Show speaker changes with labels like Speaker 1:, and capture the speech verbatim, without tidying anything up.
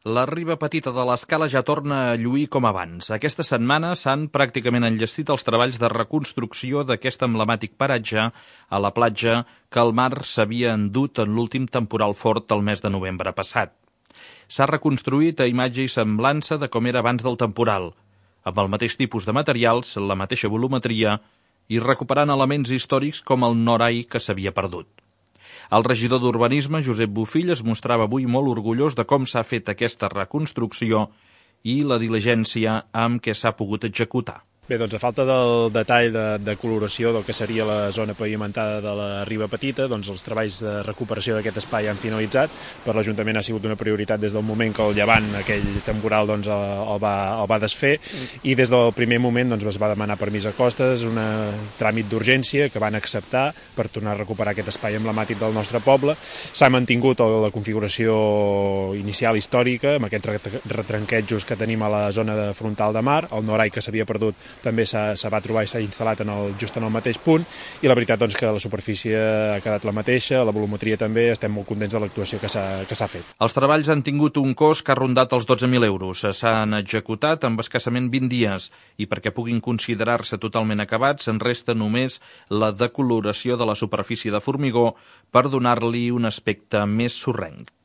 Speaker 1: La riba petita de l'Escala ja torna a lluir com abans. Aquesta setmana s'han pràcticament enllestit els treballs de reconstrucció d'aquest emblemàtic paratge a la platja que el mar s'havia endut en l'últim temporal fort del mes de novembre passat. S'ha reconstruït a imatge i semblança de com era abans del temporal, amb el mateix tipus de materials, la mateixa volumetria i recuperant elements històrics com el norai que s'havia perdut. El regidor d'Urbanisme, Josep Bofill, es mostrava avui molt orgullós de com s'ha fet aquesta reconstrucció i la diligència amb què s'ha pogut executar.
Speaker 2: Bé, doncs a falta del detall de, de coloració del que seria la zona pavimentada de la riba petita, doncs els treballs de recuperació d'aquest espai han finalitzat. Per l'Ajuntament ha sigut una prioritat des del moment que el llevant, aquell temporal, doncs, el, va, el va desfer, i des del primer moment doncs, es va demanar permís a Costes, un tràmit d'urgència que van acceptar per tornar a recuperar aquest espai emblemàtic del nostre poble. S'ha mantingut la configuració inicial històrica, amb aquests retranquejos que tenim a la zona de frontal de mar, el norai que s'havia perdut també se va trobar i s'ha instal·lat en el, just en el mateix punt, i la veritat doncs, que la superfície ha quedat la mateixa, la volumetria també, estem molt contents de l'actuació que s'ha fet.
Speaker 1: Els treballs han tingut un cost que ha rondat els dotze mil euros. S'han executat amb escassament vint dies i perquè puguin considerar-se totalment acabats en resta només la decoloració de la superfície de formigó per donar-li un aspecte més sorrenc.